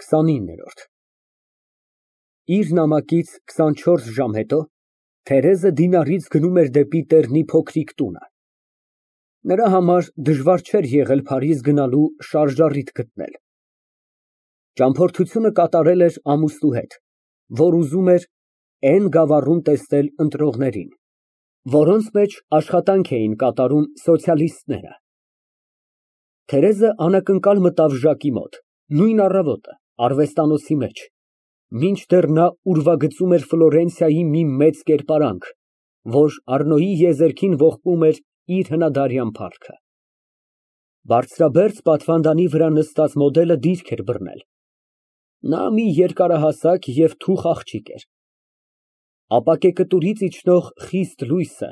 29։ Իր նամակից 24 ժամ հետո Թերեզը դինարից գնում էր դեպի Տեռնի փոքրիկ տունը։ Նրա համար դժվար չէր եղել Փարիզ գնալու շարժառիթ գտնել։ Ճամփորդությունը կատարել էր ամուսնու հետ, որ ուզում էր Էն գավառում տեսնել ընտրողներին, որոնց մեջ աշխատանք էին կատարում սոցիալիստները։ Թերեզը անակնկալ մտավ Ժակի մոտ, նույն առավոտը, արվեստանոցի մեջ, մինչդեռ նա ուրվագծում էր Ֆլորենցիայի մի մեծ կերպարանք, որ Առնոյի եզերքին ողբում էր իր հնադարյան փառքը։ Բարձրաբերձ պատվանդանի վրա նստած մոդելը դիրք էր բռնել։ Նա մի երկարահասակ և թուխ աղջիկ էր։ Ապակե կտուրից իջնող խիստ լույսը,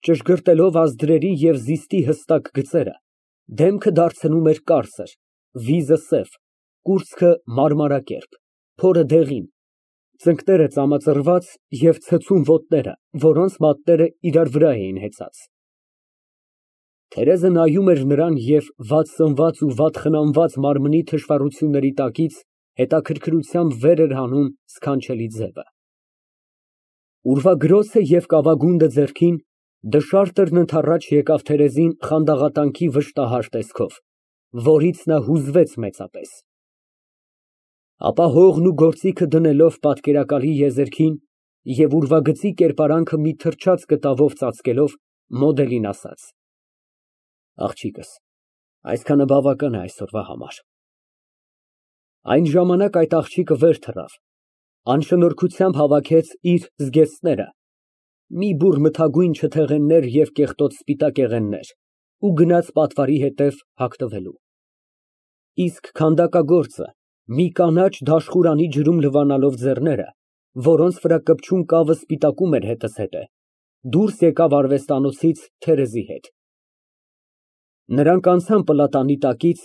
ճշգրտելով ազդրերի և զիստի հստակ գծերը, դեմքը դարձնում էր կարծր, վիզը սև, կուրծքը մարմարակերպ, փորը դեղին, ծնկները ծամածռված և ցցում ոտները, որոնց մատները իրար վրա էին հեծած։ Թերեզը նայում էր նրան և վատ սնված ու վատ խնամված մարմնի թշվառությունների տակից հետաքրքրությամբ վեր էր հանում սքանչելի ձևը։ Ուրվագռոցը և կավագունդը ձեռքին, դշարտերն ընդառաջ եկավ Թերեզին խանդաղատանքի վշտահար տեսքով, որից նա հուզվեց մեծապես։ Ապա հողն ու գործիքը դնելով պատկերակալի եզերքին և ուրվագծի կերպարանքը մի թրջած կտավով ծածկելով, մոդելին ասաց. Աղջիկս, այսքանը բավական է այսօրվա համար։ Այն ժամանակ այդ աղջիկը վեր թռավ, անշնորհքությամբ հավաքեց իր զգեստները, մի բուռ մթագույն չթեղեններ և կեղտոտ սպիտակ եղեններ ու գնաց պատվարի հետև հագնվելու։ Իսկ քանդակագործը, մի կանաչ դաշխուրանի ջրում լվանալով ձեռները, որոնց վրա կպչուն կավը սպիտակում էր հետզհետե, դուրս եկավ արվեստանոցից Թերեզի հետ։ Նրանք անցան պլատանի տակից,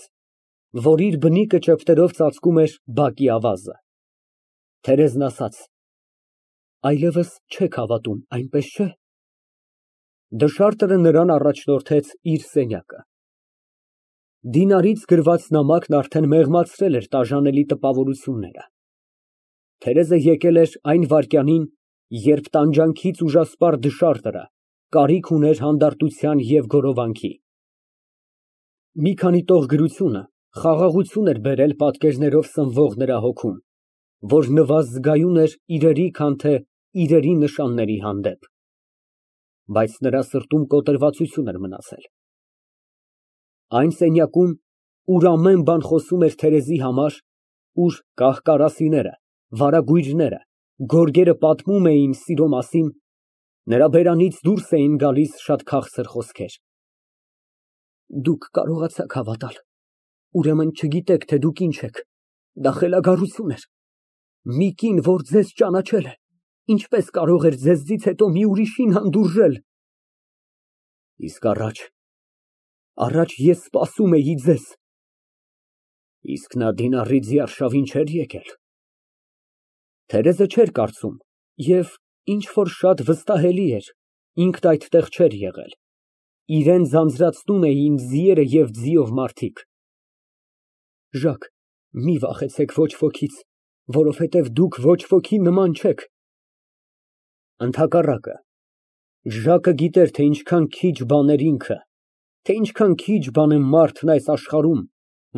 որ իր բնիկը ճեպտերով ծածկում էր բակի ավազը։ Թերեզն ասաց. Այլևս չեք հավատում, այնպես չէ՞։ Դշարտերը նրան առաջնորդեց իր սենյակը։ Դինարից գրված նամակն արդեն մեղմացրել էր տաժանելի տպավորությունները։ Թերեզը եկել էր այն վայրկյանին, երբ տանջանքից ուժասպառ դշարտը կարիք ուներ հանդարտության և գորովանքի։ Մի քանի տող գրությունը խաղաղություն էր բերել պատկերներով սնվող նրա հոգում, որ նվազգայուն էր իրերի, քան թե իրերի նշանների հանդեպ։ Բայց նրա սրտում կոտրվածություն էր մնացել։ Այն սենյակում, ուր ամեն բան խոսում էր Թերեզի համար, ուր կահ֊կարասիները, վարագույրները, գորգերը պատմում էին սիրո մասին, նրա բերանից դուրս էին գալիս շատ քաղցր խոսքեր։ Դուք կարողացաք հավատալ, ուրեմն չգիտեք, թե դուք ինչ եք, դա խելագարություն էր։ Մի կին, որ ձեզ ճանաչել է, ինչպես կարող էր ձեզնից հետո մի ուրիշին հանդուրժել։ Իսկ առաջ ես սպասում էի ձեզ։ Իսկ նա դինարից արշավին չէր եկել։ Թերեզը չէր կարծում և ինչ որ շատ վստահելի էր, ինքն այդտեղ չէր եղել։ Իրան ձանձրացնում էին ձիերը և ձիով մարդիկ։ Ժակ, մի վախեցեք ոչ ոքից, որովհետև դուք ոչ ոքի նման չեք։ Ընդհակառակը, Ժակը գիտեր, թե ինչքան քիչ բան էր ինքը, թե ինչքան քիչ բան է մարդն այս աշխարհում,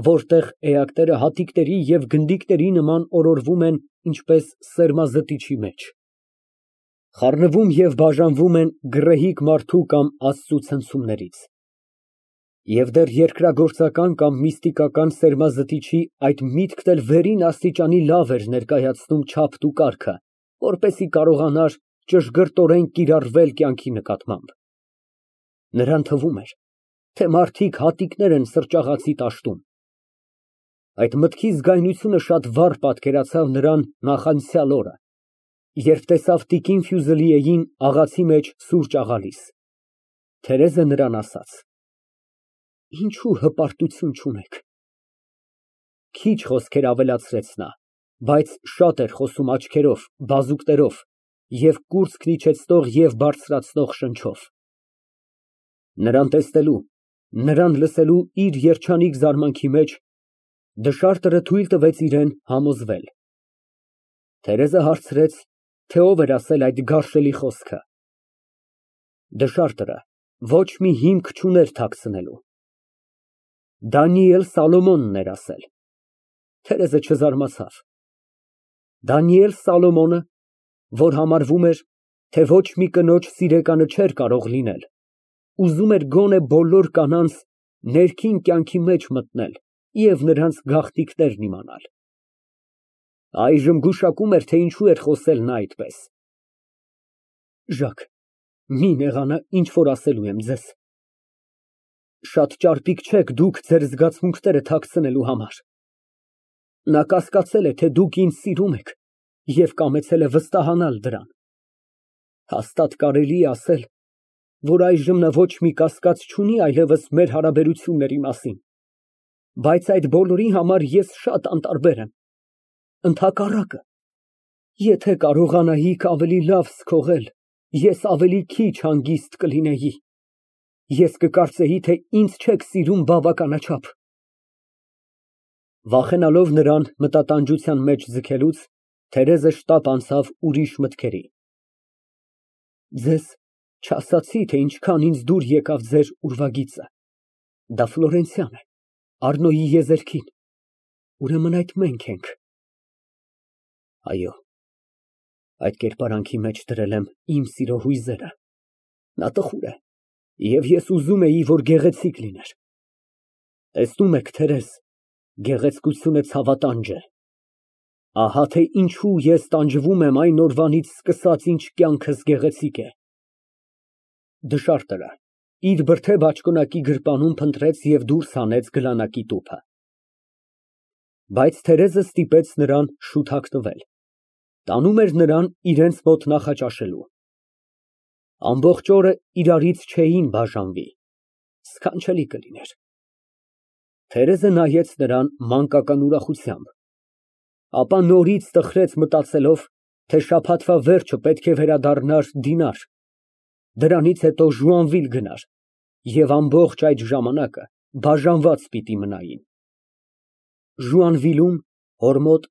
որտեղ էակները հատիկների և գնդիկների նման օրորվում են ինչպես սերմազտիչի մեջ, խառնվում և բաժանվում են գռեհիկ մարդու կամ Աստծու ցնցումներից։ Եվ դեռ երկրագործական կամ միստիկական սերմազտիչի այդ միտքն էլ վերին աստիճանի լավ էր ներկայացնում չափն ու կարգը, որպեսզի կարողանար ճշգրտորեն կիրառվել կյանքի նկատմամբ։ Նրան թվում էր, թե մարդիկ հատիկներ են սրճաղացի տաշտում։ Այդ մտքի զգայունությունը շատ վառ պատկերացավ նրան նախանցյալ օրը, երբ տեսավ տիկին Ֆյուզելիեին աղացի մեջ սուրճ աղալիս։ Թերեզը նրան ասաց. Ինչու հպարտություն չունեք։ Քիչ խոսքեր ավելացրեց նա, բայց շատ էր խոսում աչքերով, բազուկներով և կուրծքն իջեցնող և բարձրացնող շնչով։ Նրան տեսնելու, նրան լսելու իր երջանիկ զարմանքի մեջ Դշարտը թույլ տվեց իրան համոզվել։ Թերեզը հարցրեց, թե ով էր ասել այդ գարշելի խոսքը։ Դշարտը ոչ մի հիմք չուներ թաքցնելու։ Դանիել Սալոմոնն էր ասել։ Թերեզը չզարմացավ։ Դանիել Սալոմոնը, որ համարվում էր, թե ոչ մի կնոջ սիրեկանը չէր կարող լինել, ուզում էր գոնե բոլոր կանանց ներքին կյանքի մեջ մտնել և նրանց գաղտնիքներն իմանալ։ Այժմ գուշակում էր, թե ինչու էր խոսել նա այդպես։ Մի նեղանա, ինչ որ ասելու եմ ձեզ։ Շատ ճարպիկ չեք դուք ձեր զգացմունքները թաքցնելու համար։ Նա կասկածել է, թե դուք ինձ սիրում եք և կամեցել է վստահանալ դրան։ Հաստատ կարելի է ասել, որ այժմ նա ոչ մի կասկած չունի այլևս մեր հարաբերությունների մասին, բայց այդ բոլորի համար ես շատ անտարբեր եմ։ Ընդհակառակը, եթե կարողանայիք ավելի լավ զգողել, ես ավելի քիչ հանգիստ կլինեի։ Ես կկարծեի, թե ինձ չեք սիրում բավականաչափ։ Վախենալով նրան մտատանջության մեջ ձգելուց, Թերեզը շտապ անցավ ուրիշ մտքերի։ Ձեզ չասացի, թե ինչքան ինձ դուր եկավ ձեր ուրվագիծը։ Դա Ֆլորենցիան է, Առնոյի եզերքին։ Ուրեմն այդ մենք ենք։ Այո, այդ կերպարանքի մեջ դրել եմ իմ սիրո հույզերը։ Նա տխուր է, և ես ուզում էի, որ գեղեցիկ լիներ։ Տեսնում եք, Թերեզ, գեղեցկությունը ցավատանջ է։ Ահա թե ինչու ես տանջվում եմ այն օրվանից սկսած, ինչ կյանքս գեղեցիկ է։ Դշարտը իր բրդե բաճկոնակի գրպանում փնտրեց և դուրս հանեց գլանակի տուփը։ Բայց Թերեզը ստիպեց նրան շուտ հագնվել, տանում էր նրան իրենց մոտ նախաճաշելու։ Ամբողջ օրը իրարից չէին բաժանվի, սքանչելի կլիներ։ Թերեզը նայեց նրան մանկական ուրախությամբ, ապա նորից տխրեց մտածելով, թե շաբաթվա վերջը պետք է վերադառնար դինար, դրանից հետո Ժուանվիլ գնար և ամբողջ այդ ժամանակը բաժանված պիտի մնային։ Ժուանվիլում, հոր մոտ,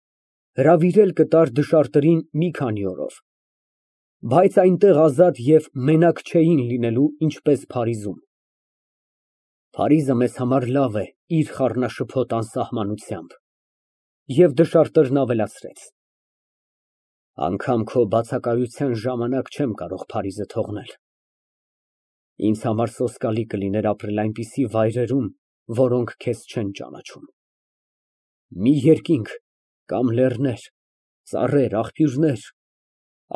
հրավիրել կտար դշարտին մի քանի օրով, բայց այնտեղ ազատ և մենակ չէին լինելու, ինչպես Փարիզում։ Փարիզը մեզ համար լավ է իր խառնաշփոթ անսահմանությամբ։ Եվ դշարտն ավելացրեց. անգամ քո բացակայության ժամանակ չեմ կարող Փարիզը թողնել։ Ինձ համար սոսկալի կլիներ ապրել այնպիսի վայրերում, որոնք քեզ չեն ճանաչում։ Մի երկինք կամ լեռներ, ծառեր, աղբյուրներ,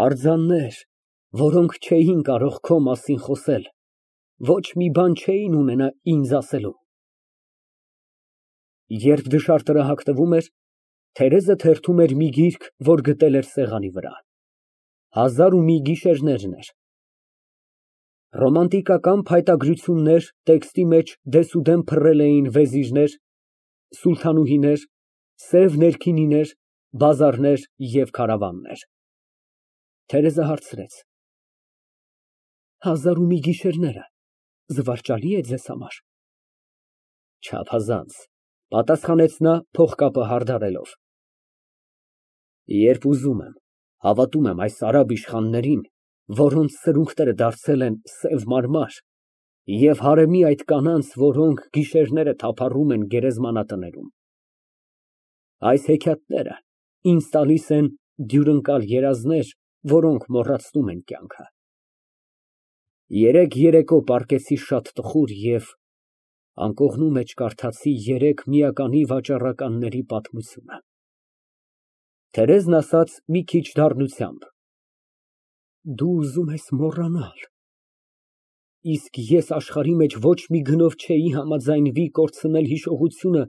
արձաններ, որոնք չէին կարող քո մասին խոսել, ոչ մի բան չէին ունենա ինձ ասելու։ Երբ դշարտը հագնվում էր, Թերեզը թերթում էր մի գիրք, որ գտել էր սեղանի վրա։ «Հազար ու մի գիշերներ» էր։ Ռոմանտիկական փայտագրություններ տեքստի մեջ դեսուդեն փռել էին վեզիրներ, սուլթանուհիներ, սև ներքինիներ, բազարներ և քարավաններ։ Թերեզը հարցրեց. «Հազար ու մի գիշերները զվարճալի է ձեզ համար»։ Չափազանց, պատասխանեց նա փողկապը հարդարելով։ Երբ ուզում եմ, հավատում եմ այս արաբ իշխաններին, որոնց սրունքները դարձել են սև մարմար, և հարեմի այդ կանանց, որոնք գիշերները թափառում են գերեզմանատներում։ Այս հեքիաթները ինձ տալիս են դյուրընկալ երազներ, որոնք մոռացնում են կյանքը։ Երեկ երեկո պառկեցի շատ տխուր և անկողնու մեջ կարդացի երեք միականի վաճառականների պատմությունը։ Թերեզն ասաց մի քիչ դառնությամբ. Դու ուզում ես մոռանալ։ Իսկ ես աշխարհի մեջ ոչ մի գնով չէի համաձայնվի կորցնել հիշողությունը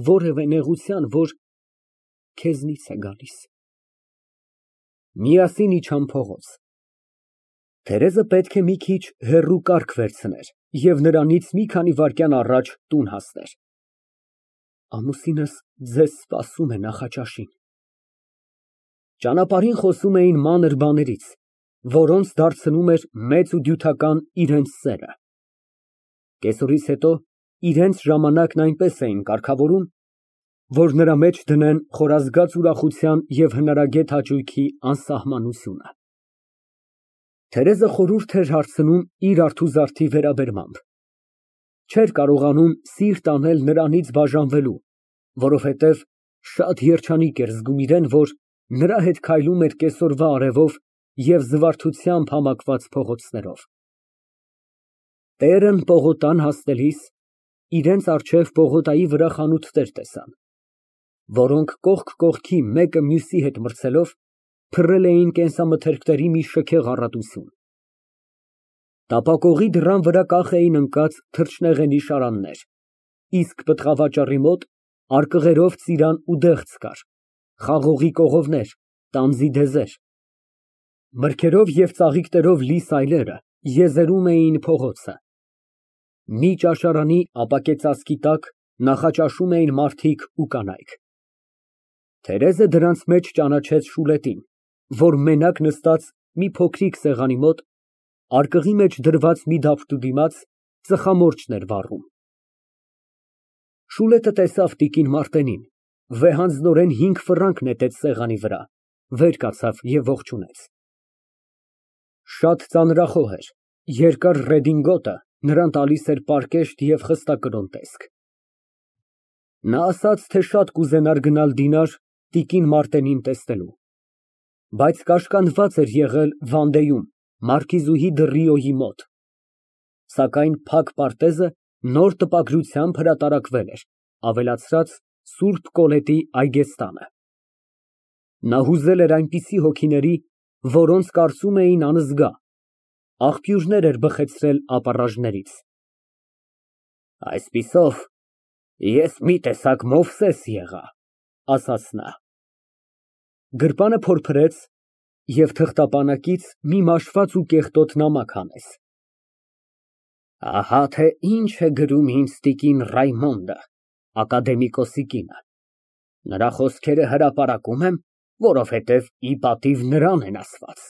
որևէ նեղության, որ քեզնից է գալիս։ Միասին իջան փողոց։ Թերեզը պետք է մի քիչ հեռու կառք վերցներ և նրանից մի քանի վայրկյան առաջ տուն հասներ։ Ամուսինս ձեզ սպասում է նախաճաշին։ Ճանապարհին խոսում էին մանր բաներից, որոնց դարձնում էր մեծ ու դյութական իրենց սերը։ Կեսօրից հետո իրենց ժամանակն այնպես էին կարգավորում, որ նրա մեջ դնեն խորազգաց ուրախության և հնարագետ հաճույքի անսահմանությունը։ Թերեզը խորհուրդ էր հարցնում իր արթուզարդի վերաբերմամբ։ Չէր կարողանում սիրտ անել նրանից բաժանվելու, որովհետև շատ երջանիկ էր զգում իրեն, որ նրա հետ քայլում էր կեսօրվա արևով և զվարթությամբ համակված փողոցներով։ Տերն պողոտան հասնելիս իրենց առջև պողոտայի վրա խանութներ տեսան, որոնք կողք կողքի մեկը մյուսի հետ մրցելով փռել էին կենսամթերքների մի շքեղ առատություն։ Տապակողի դռան վրա կախ էին ընկած թռչնեղենի շարաններ, իսկ պտղավաճառի մոտ արկղերով ծիրան ու դեղց կար, խաղողի կողովներ, տանձի դեզեր։ Մրգերով և ծաղիկներով լի սայլերը եզերում էին փողոցը։ Մի ճաշարանի ապակե ծածկի տակ նախաճաշում էին մարդիկ ու կանայք։ Թերեզը դրանց մեջ ճանաչեց Շուլետին, որ մենակ նստած մի փոքրիկ սեղանի մոտ, արկղի մեջ դրված մի դափնու դիմաց, ծխամորճ էր վառում։ Շուլետը տեսավ տիկին Մարտենին, վեհանձնորեն 5 ֆրանկ նետեց սեղանի վրա, վեր կացավ և ողջունեց։ Շատ ծանրախոհ էր, երկար ռեդինգոտը նրան տալիս էր պարկեշտ և խստակրոն տեսք։ Նա ասաց, թե շատ կուզենար գնալ դինար տիկին Մարտենին տեսնելու, բայց կաշկանդված էր եղել Վանդեում, մարքիզուհի Դռիոյի մոտ, սակայն փակ պարտեզը նոր տպագրությամբ հրատարակվել էր, ավելացրած Սուրբ Կոլետի այգեստանը։ Նա հուզել էր այնպիսի հոգիների, որոնց կարծում էին անզգա, աղբյուրներ էր բխեցրել ապառաժներից։ Այսպիսով, ես մի տեսակ Մովսես եղա, ասաց նա։ Գրպանը փորփրեց և թղթապանակից մի մաշված ու կեղտոտ նամակ հանեց։ Ահա թե ինչ է գրում ինձ տիկին Ռայմոնդը, ակադեմիկոսի կինը։ Նրա խոսքերը հրապարակում եմ, որովհետև ի պատիվ նրան են ասված։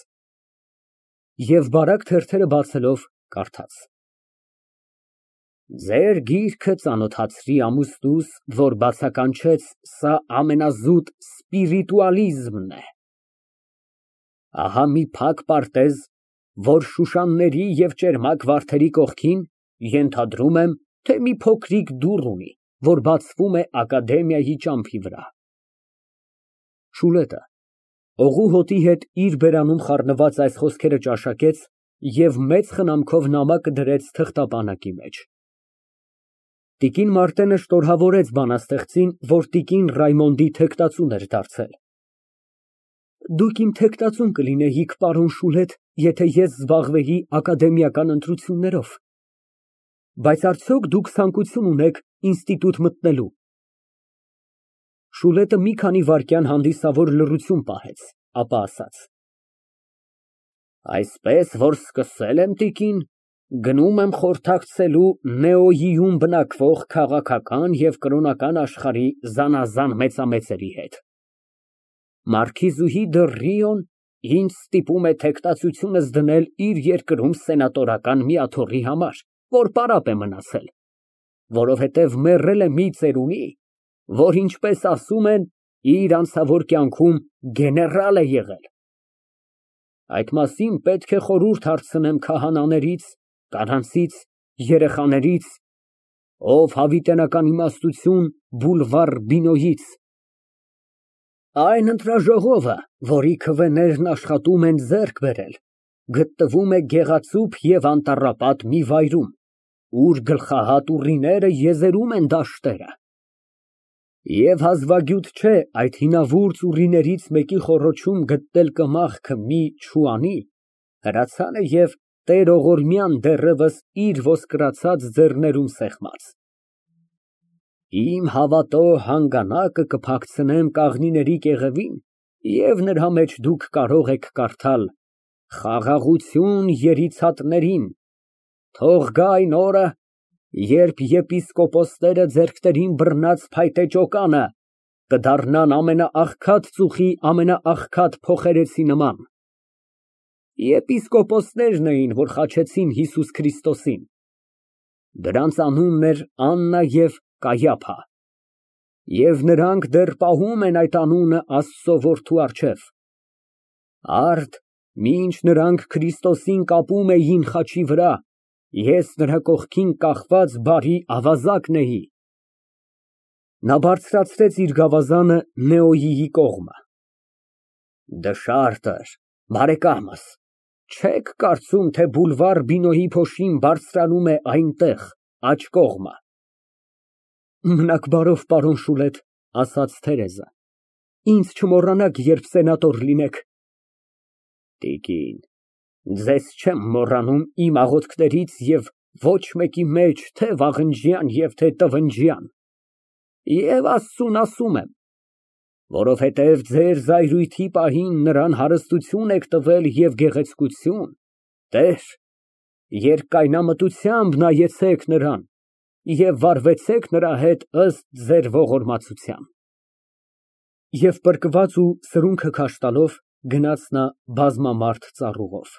Եվ բարակ թերթերը բացելով, կարդաց. Ձեր գիրքը ծանոթացրի ամուսնուս, որ բացականչեց սա ամենազուտ սպիրիտուալիզմն է։ Ահա մի փակ պարտեզ, որ շուշանների և ճերմակ վարդերի կողքին, ենթադրում եմ, թե մի փոքրիկ դուռ ունի, որ բացվում է ակադեմիայի ճամփի վրա։ Շուլետը օղու հոտի հետ իր բերանում խառնված այս խոսքերը ճաշակեց և մեծ խնամքով նամակը դրեց թղթապանակի մեջ։ Տիկին Մարտենը շնորհավորեց բանաստեղծին, որ տիկին Ռայմոնդի թեկտածուն էր դարձել։ Դուք իմ թեկտածուն կլինեիք, պարոն Շուլետ, եթե ես զբաղվեի ակադեմիական ընտրություններով, բայց արդյոք դուք ցանկություն ունեք ինստիտուտ մտնելու։ Շուլետը մի քանի վայրկյան հանդիսավոր լռություն պահեց, ապա ասաց. Այսպես որ սկսել եմ, տիկին, գնում եմ խորհրդակցելու Նեոյիում բնակվող քաղաքական և կրոնական աշխարհի զանազան մեծամեծերի հետ։ Մարքիզուհի Դռիոն ինձ ստիպում է թեկտածությունս դնել իր երկրում սենատորական մի աթոռի համար, որ պարապ է մնացել, որովհետև մեռել է մի ծերունի, որ, ինչպես ասում են, իր անցավոր կյանքում գեներալ է եղել։ Այդ մասին պետք է խորհուրդ հարցնեմ քահանաներից, կանանցից, երեխաներից, ով հավիտենական իմաստություն բուլվար Բինոյից։ Այն ընտրաժողովը, որի քվեներն աշխատում են ձեռք բերել, գտնվում է գեղեցիկ և անտառապատ մի վայրում, ուր գլխահատ ուռիները եզերում են դաշտերը։ Եվ հազվագյուտ չէ այդ հինավուրց ուռիներից մեկի խոռոչում գտնել կմախքը մի չուանի, հրացանը և տեր-ողորմյան դեռևս իր ոսկրացած ձեռներում սեղմած։ Իմ հավատո հանգանակը կփակցնեմ կաղնիների կեղևին, և նրա մեջ դուք կարող եք կարդալ. «Խաղաղություն երիցատներին, թող գա այն օրը, երբ եպիսկոպոսները ձեռքներին բռնած փայտե ճոկանը կդառնան ամենաաղքատ ծուխի ամենաաղքատ փոխերեցի նման»։ Եպիսկոպոսներն էին, որ խաչեցին Հիսուս Քրիստոսին։ Դրանց անունն էր Աննա և Կայափա։ Եվ նրանք դեռ պահում են այդ անունը Աստծո որդու առջև։ Արդ, մինչ նրանք Քրիստոսին կապում էին խաչի վրա, ես նրա կողքին կախված բարի ավազակն էի։ Նա բարձրացրեց իր գավազանը Նեոյիի կողմը։ Դշարտր, բարեկամս, չեք կարծում, թե բուլվար Բինոյի փոշին բարձրանում է այնտեղ, աջ կողմը։ Մնաք բարով, պարոն Շուլետ, ասաց Թերեզը, ինձ չմոռանաք, երբ սենատոր լինեք։ Տիկին, ձեզ չեմ մոռանում իմ աղոթքներից և ոչ մեկի մեջ թե վաղնջյան և թե տվնջյան, և Աստծուն ասում եմ, որովհետև ձեր զայրույթի պահին նրան հարստություն եք տվել և գեղեցկություն, տեր, երկայնամտությամբ նայեցեք նրան և վարվեցեք նրա հետ ըստ ձեր ողորմածության։ Եվ պրկված ու սրունքը քաշ տալով, գնաց նա բազմամարդ ծառուղով։